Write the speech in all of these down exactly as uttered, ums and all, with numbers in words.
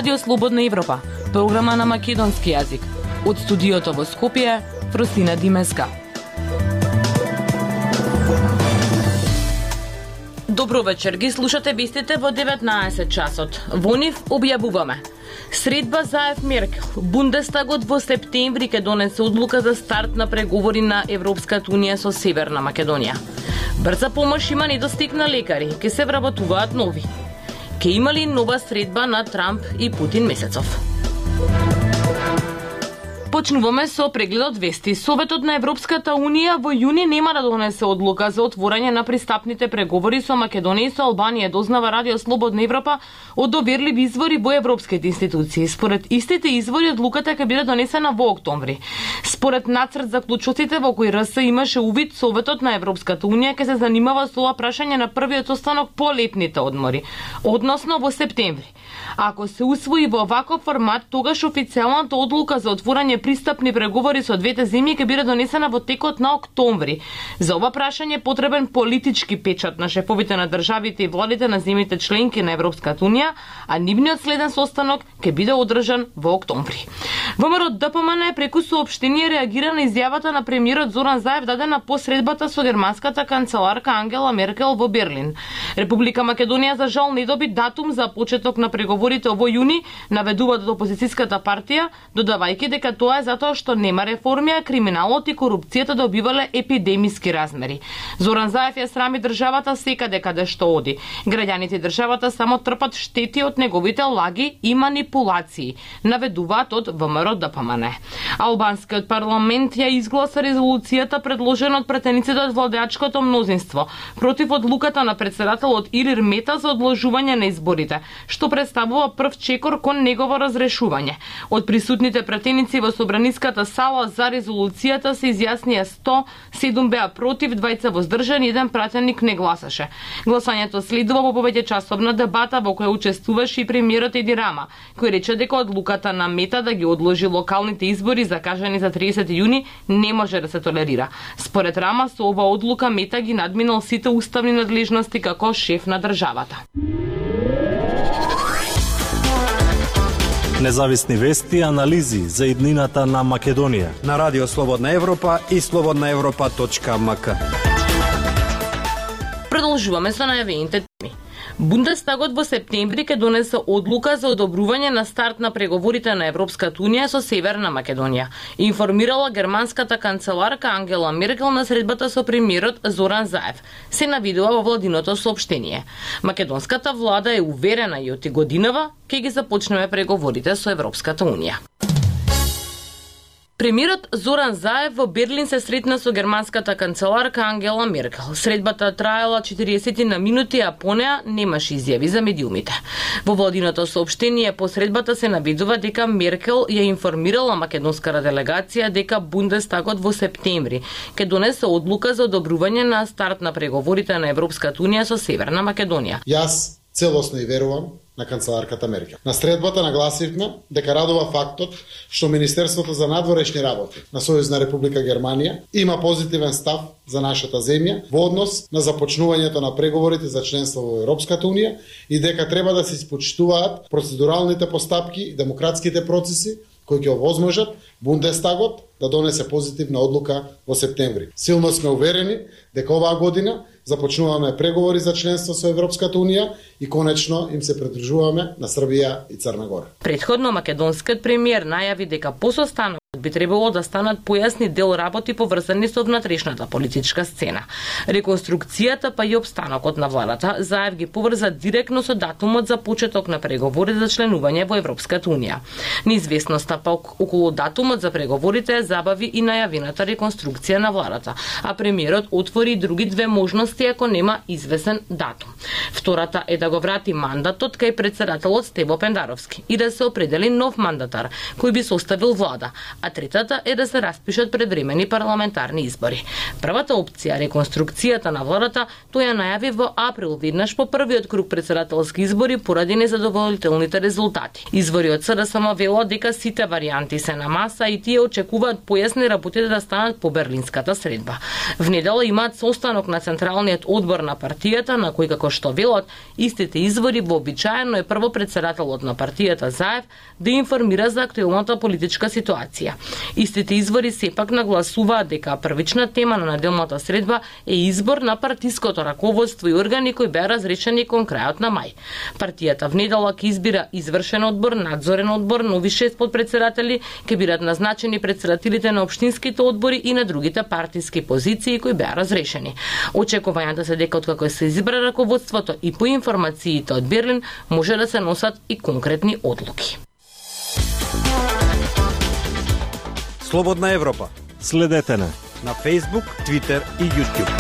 Радио Слободна Европа, програма на македонски јазик. Од студиото во Скопје, Фросина Димеска. Добро вечер, ги слушате вестите во деветнаесет часот. Во нив објавуваме: средба Заев Меркел. Бундестагот во септември ќе донесе одлука за старт на преговори на Европската унија со Северна Македонија. Брза помош има недостиг на лекари, ќе се вработуваат нови. Ке има ли нова средба на Трамп и Путин месецов? Почнуваме со прегледот вести. Советот на Европската унија во јуни нема да донесе одлука за отворање на пристапните преговори со Македонија и со Албанија, дознава Радио Слободна Европа од доверливи извори во европските институции. Според истите извори одлуката ќе биде донесена во октомври. Според нацрт заклучоците во кој РС имаше увид, Советот на Европската унија ќе се занимава со ова прашање на првиот состанок по летните одмори, односно во септември. Ако се усвои во ваков формат, тогаш официјалната одлука за отворање пристапни преговори со двете земји ќе биде донесена во текот на октомври. За ова прашање е потребен политички печат на шефовите на државите и владите на земјите членки на Европската унија, а нивниот следен состанок ќе биде одржан во октомври. ВМРО ДПМН преку соопштение реагира на изјавата на премиерот Зоран Заев дадена по средбата со германската канцеларка Ангела Меркел во Берлин. Република Македонија за жал не доби датум за почеток на преговорите овој јуни, наведуваат од опозицијската партија, додавајќи дека тоа е затоа што нема реформи, а криминалот и корупцијата добивале епидемиски размери. Зоран Заев ја срами државата секаде каде што оди. Граѓаните и државата само трпат штети од неговите лаги и манипулации, наведуваат од ВМРО ДПМН. Албанскиот парламент ја изгласа резолуцијата предложена од претениците од владеачкото мнозинство против одлуката на претседателот Илир Мета за одложување на изборите, што представува прв чекор кон негово разрешување. Од присутните претеници во собраниската сала за резолуцијата се изјаснија сто, седум беа против, двајца воздржани, еден пратеник не гласаше. Гласањето следува во повеќе часовна дебата во која учествуваше и премиерот Еди Рама, кој рече дека одлуката на Мета да ги одложи локалните избори закажани за триесети јуни не може да се толерира. Според Рама, со ова одлука Мета ги надминал сите уставни надлежности како шеф на државата. Независни вести и анализи за иднината на Македонија на Радио Слободна Европа и слободна европа точка ем ка. Продолжуваме со најавените теми. Бундестагот во септември ќе донесе одлука за одобрување на старт на преговорите на Европската унија со Северна Македонија, информирала германската канцеларка Ангела Меркел на средбата со премиерот Зоран Заев, се навидува во владиното соопштение. Македонската влада е уверена и од годинава ќе ги започнеме преговорите со Европската унија. Премиерот Зоран Заев во Берлин се сретна со германската канцеларка Ангела Меркел. Средбата траела четириесет на минути, а по неа немаше изјави за медиумите. Во владиното соопштение по средбата се навидува дека Меркел ја информирала македонската делегација дека Бундестагот во септември ќе донесе одлука за одобрување на старт на преговорите на Европската унија со Северна Македонија. Јас целосно и верувам на канцеларката Меркел. На средбата нагласивме дека радува фактот што Министерството за надворешни работи на Сојузна Република Германија има позитивен став за нашата земја во однос на започнувањето на преговорите за членство во Европската унија и дека треба да се испочитуваат процедуралните постапки и демократските процеси кои ќе овозможат Бундестагот да донесе позитивна одлука во септември. Силно сме уверени дека оваа година започнуваме преговори за членство со Европската унија и конечно им се придружуваме на Србија и Црна Гора. Претходно македонскиот премиер најави дека по состанокот би требало да станат појасни дел работи поврзани со внатрешната политичка сцена. Реконструкцијата па и обстанокот на владата Заев ги поврза директно со датумот за почеток на преговори за членување во Европската унија. Неизвестноста па околу датумот за преговорите забави и најавената реконструкција на владата, а премиерот отвори други две можности ако нема известен датум. Втората е да го врати мандатот кај претседателот Стево Пендаровски и да се определи нов мандатар кој би составил влада, а а третата е да се распишат предвремени парламентарни избори. Првата опција, реконструкцијата на владата, тој ја најави во април веднаш по првиот круг претседателски избори поради незадоволителните резултати. Извори од СДСМ велат дека сите варијанти се на маса и тие очекуваат појасни работите да станат по берлинската средба. В недела имаат состанок на Централниот одбор на партијата, на кој, како што велат, истите извори вообичаено е прво претседателот на партијата Заев да информира за актуелната политичка ситуација. Истите извори сепак нагласуваат дека првична тема на неделната средба е избор на партиското раководство и органи кои беа разрешени кон крајот на мај. Партијата в недела ќе избира извршен одбор, надзорен одбор, нови шест подпредседатели, ќе бидат назначени председателите на општинските одбори и на другите партиски позиции кои беа разрешени. Очекувањата се дека откако се избра раководството и по информациите од Берлин може да се носат и конкретни одлуки. Слободна Европа. Следете на на Facebook, Twitter и YouTube.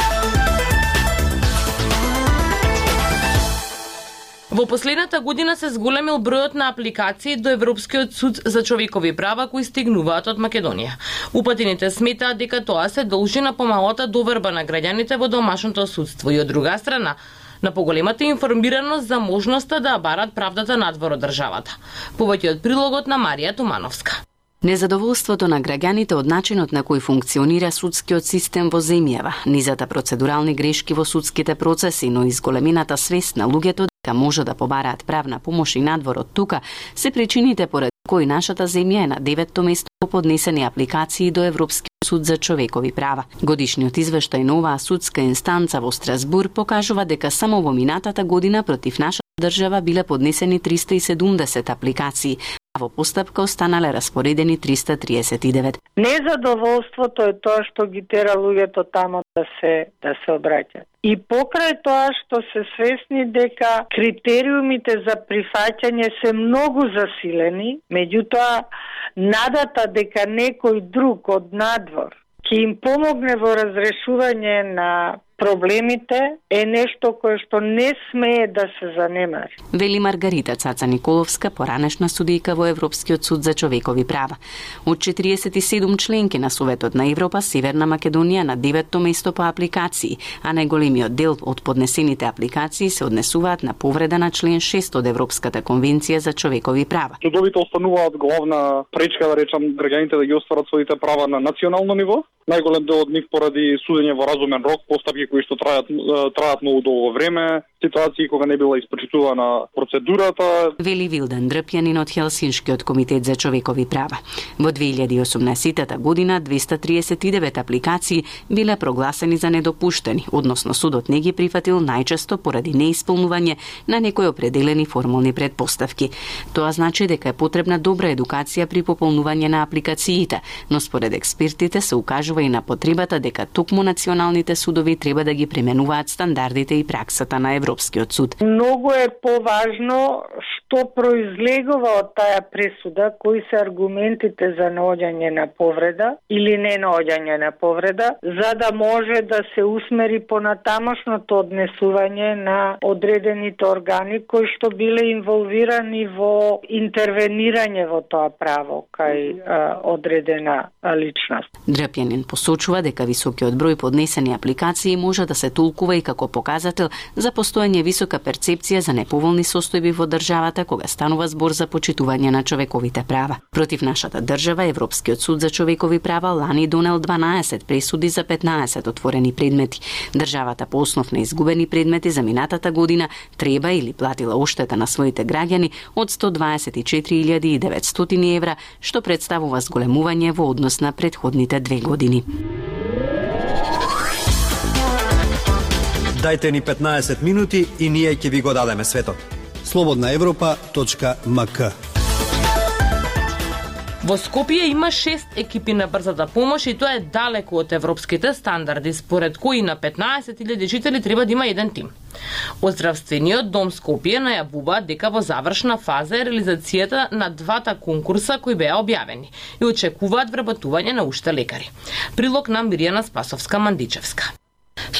Во последната година се зголемил бројот на апликации до Европскиот суд за човекови права кои стигнуваат од Македонија. Упатените сметаат дека тоа се должи на помалата доверба на граѓаните во домашното судство и од друга страна на поголемата информираност за можноста да барат правдата надвор од државата. Повеќе од прилогот на Марија Тумановска. Незадоволството на граѓаните од начинот на кој функционира судскиот систем во земјава, низата процедурални грешки во судските процеси, но и зголемената свест на луѓето дека може да побараат правна помош и надвор од тука, се причините поради кои нашата земја е на деветто место по поднесени апликации до Европскиот суд за човекови права. Годишниот извештај на оваа судска инстанца во Страсбур покажува дека само во минатата година против нашата држава биле поднесени триста и седумдесет апликации, а во постапка останале распоредени триста триесет и девет. Незадоволството е тоа што ги тера луѓето тамо да се да се обраќаат. И покрај тоа што се свесни дека критериумите за прифаќање се многу засилени, меѓутоа надата дека некој друг од надвор ќе им помогне во разрешување на проблемите е нешто кое што не смее да се занемари. Вели Маргарита Цаца Николовска, поранешна судијка во Европскиот суд за човекови права. Од четириесет и седум членки на Советот на Европа, Северна Македонија на деветто место по апликации, а најголемиот дел од поднесените апликации се однесуваат на повреда на член шест од Европската конвенција за човекови права. Судовите остануваат главна пречка, да речам, граѓаните да ги остварат своите права на национално ниво. Најголем дел од нив поради судење во разумен рок, постапки кои што траат траат многу долго време, ситуации кога не била испрачитувана процедурата. Вели Вилдан Дрпјанин од Хелсиншкиот комитет за човекови права. Во две илјади и осумнаесетта година двеста триесет и девет апликации биле прогласени за недопуштени, односно судот не ги прифатил најчесто поради неисполнување на некои определени формални предпоставки. Тоа значи дека е потребна добра едукација при пополнување на апликациите, но според експертите се укажува и на потребата дека токму националните судови треба да ги применуваат стандардите и праксата на Европскиот суд. Многу е поважно што произлегува од таа пресуда, кои се аргументите за наоѓање на повреда или не наоѓање на повреда, за да може да се усмери понатамошното однесување на одредените органи кои што биле инволвирани во интервенирање во тоа право кај а, одредена а, личност. Дрпјанин посочува дека високиот број поднесени апликации може да се толкува и како показател за постоење висока перцепција за неповолни состојби во државата кога станува збор за почитување на човековите права. Против нашата држава Европскиот суд за човекови права лани донел дванаесет пресуди за петнаесет отворени предмети. Државата по основ на изгубени предмети за минатата година треба или платила оштета на своите граѓани од сто дваесет и четири илјади и деветстотини евра, што представува зголемување во однос на претходните две години. Дајте ни петнаесет минути и ние ќе ви го дадеме светот. слободна европа точка ем ка. Во Скопје има шест екипи на брзата помош и тоа е далеку од европските стандарди, според кои на петнаесет илјади жители треба да има еден тим. Од Здравствениот дом Скопје најавуваат дека во завршна фаза е реализацијата на двата конкурса кои беа објавени и очекуваат вработување на уште лекари. Прилог на Миријана Спасовска-Мандичевска.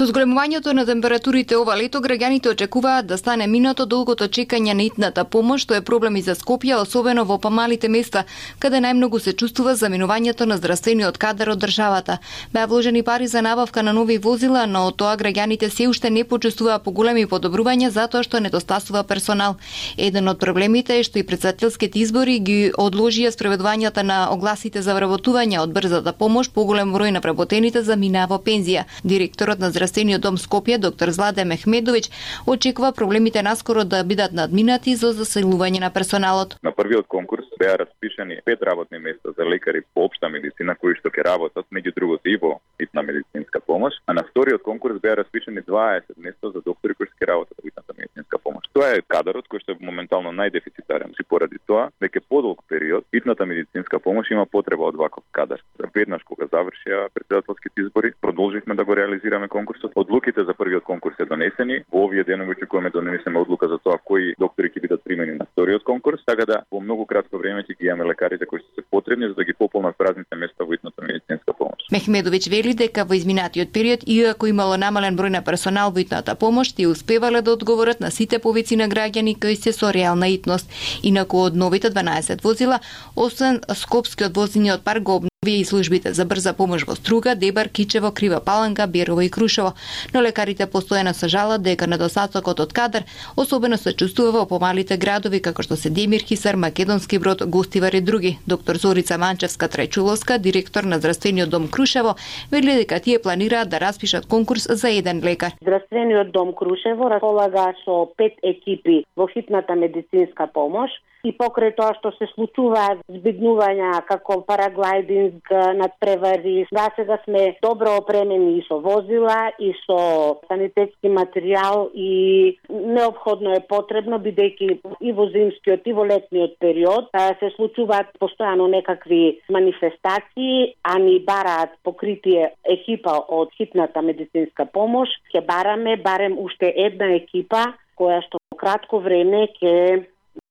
Со зголемувањето на температурите ова лето, граѓаните очекуваат да стане минато долгото чекање на итната помош, што е проблем и за Скопје, особено во помалите места, каде најмногу се чувствува заминувањето на здравствениот кадар од државата. Беа вложени пари за набавка на нови возила, но од тоа граѓаните се уште не почувствуваа поголеми подобрувања затоа што недостасува персонал. Еден од проблемите е што и председателските избори ги одложија спроведувањата на огласите за вработување од брзата помош, поголем број на вработените заминаа во пензија. Директорот на Здравствениот дом Скопје, доктор Зладе Мехмедовиќ, очекува проблемите наскоро да бидат надминати за заселување на персоналот. На првиот конкурс беа распишани пет работни места за лекари по општа медицина кои што ќе работат меѓу другото и во итна медицинска помош, а на вториот конкурс беа распишани дваесет места за доктори кои ќе работат во итната медицинска помош. Тоа е кадарот кој што е моментално најдефицитарен, и поради тоа дека подолг период итната медицинска помош има потреба од ваков кадар. Веднаш кога завршија председателските избори, продолживме да го реализираме конкурсот. Одлуките за првиот конкурс се донесени. Во овие денови очекуваме да донесеме одлука за тоа кои доктори ќе бидат примени на вториот конкурс, така да во многу кратко време ќе ги имаме лекарите кои се потребни за да ги пополнат празните места во итната медицинска помош. Мехмедовиќ вели дека во изминатиот период, иако имало намален број на персонал во итната помош, тие успевале да одговорат на сите повици на граѓани кои се со реална итност. Инаку од новите дванаесет возила, освен скопскиот возниот парк го обновија и службите за брза помош во Струга, Дебар, Кичево, Крива Паланка, Берово и Крушево. Но лекарите постојано се жалат дека недостатокот од кадар особено се чувствува во помалите градови како што се Демир, Хисар, Македонски Брод, Гостивар и други. Доктор Зорица Манчевска-Трајчуловска, директор на Здравствениот дом Крушево, вели дека тие планираат да распишат конкурс за еден лекар. Здравствениот дом Крушево располага со пет екипи во хитната медицинска помош и покрај тоа што се случуваат збегнувања како параглайдинг, надпревари, да сега сме добро опремени и со возила и со санитетски материјал и неопходно е потребно бидејќи и во зимскиот и во летниот период се случуваат постојано некакви манифестации, а ни бараат покритие екипа од хитната медицинска помош. Ќе бараме барем уште една екипа која што во кратко време ќе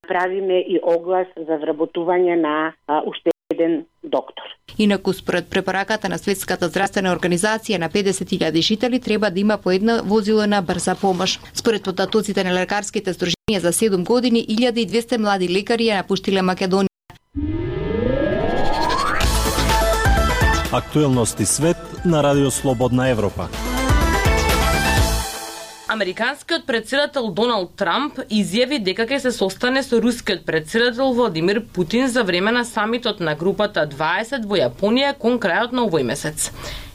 правиме и оглас за вработување на а, уште еден доктор. Инаку според препораката на Светската здравствена организација на педесет илјади жители треба да има по едно возило на брза помош. Според потатоците на лекарските сдруженија за седум години, илјада и двесте млади лекари ја напуштиле Македонија. Актуелности свет на Радио Слободна Европа. Американскиот председател Доналд Трамп изјави дека ќе се состане со рускиот председател Владимир Путин за време на самитот на групата дваесет во Јапонија кон крајот на овој месец.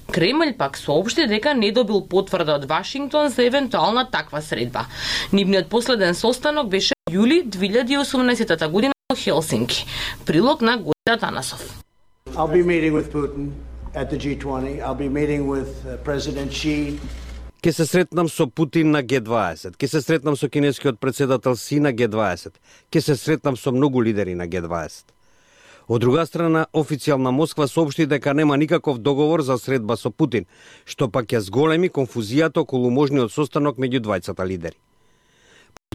Кремљ пак соопшти дека не добил потврда од Вашингтон за евентуална таква средба. Нивниот последен состанок беше јули две илјади и осумнаесета година во Хелсинки. Прилог на Гојда Танасов. I'll be meeting with Putin at the G twenty. I'll be meeting with uh, President Xi. Ке се сретнам со Путин на Г дваесет, ке се сретнам со кинескиот председател Си на Г дваесет, ке се сретнам со многу лидери на Г дваесет. Од друга страна, официјална Москва соопшти дека нема никаков договор за средба со Путин, што пак ја зголеми конфузијата околу можниот состанок меѓу двајцата лидери.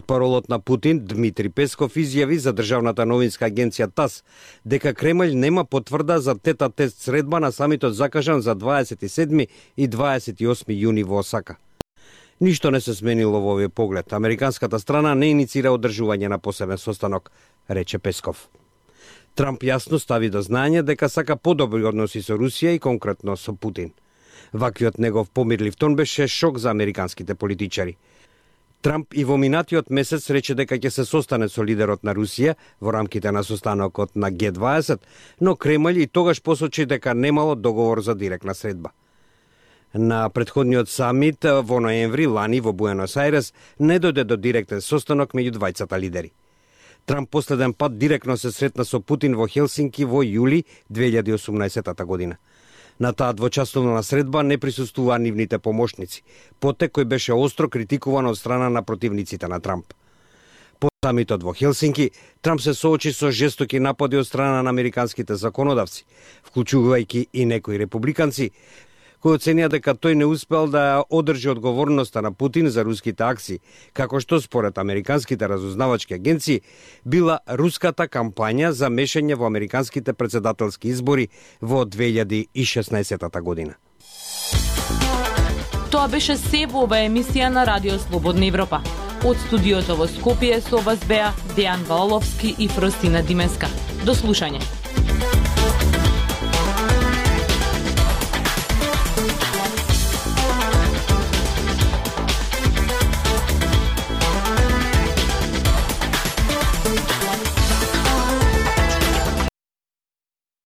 Паролот на Путин, Дмитри Песков, изјави за државната новинска агенција ТАСС дека Кремљ нема потврда за тета-тест средба на самитот закажан за дваесет и седми и дваесет и осми јуни во Осака. Ништо не се сменило во овој поглед. Американската страна не иницира одржување на посебен состанок, рече Песков. Трамп јасно стави до знање дека сака подобри односи со Русија и конкретно со Путин. Ваквиот негов помирлив тон беше шок за американските политичари. Трамп и во минатиот месец рече дека ќе се состане со лидерот на Русија во рамките на состанокот на Г дваесет, но Кремљ и тогаш посочи дека немало договор за директна средба. На претходниот самит во ноември лани во Буенос Ајрес не дојде до директен состанок меѓу двајцата лидери. Трамп последен пат директно се сретна со Путин во Хелсинки во јули две илјади и осумнаесета година. На таа двочасовна средба не присуствуваа нивните помошници, потек кој беше остро критикуван од страна на противниците на Трамп. По самитот во Хелсинки, Трамп се соочи со жестоки напади од страна на американските законодавци, вклучувајќи и некои републиканци, кој оценија дека тој не успел да одржи одговорноста на Путин за руските акции, како што според американските разузнавачки агенции била руската кампања за мешање во американските председателски избори во две илјади и шеснаесета година. Тоа беше се во оваа емисија на Радио Слободна Европа. Од студиото во Скопје со вас беа Дејан Валовски и Фростина Димеска. До слушање.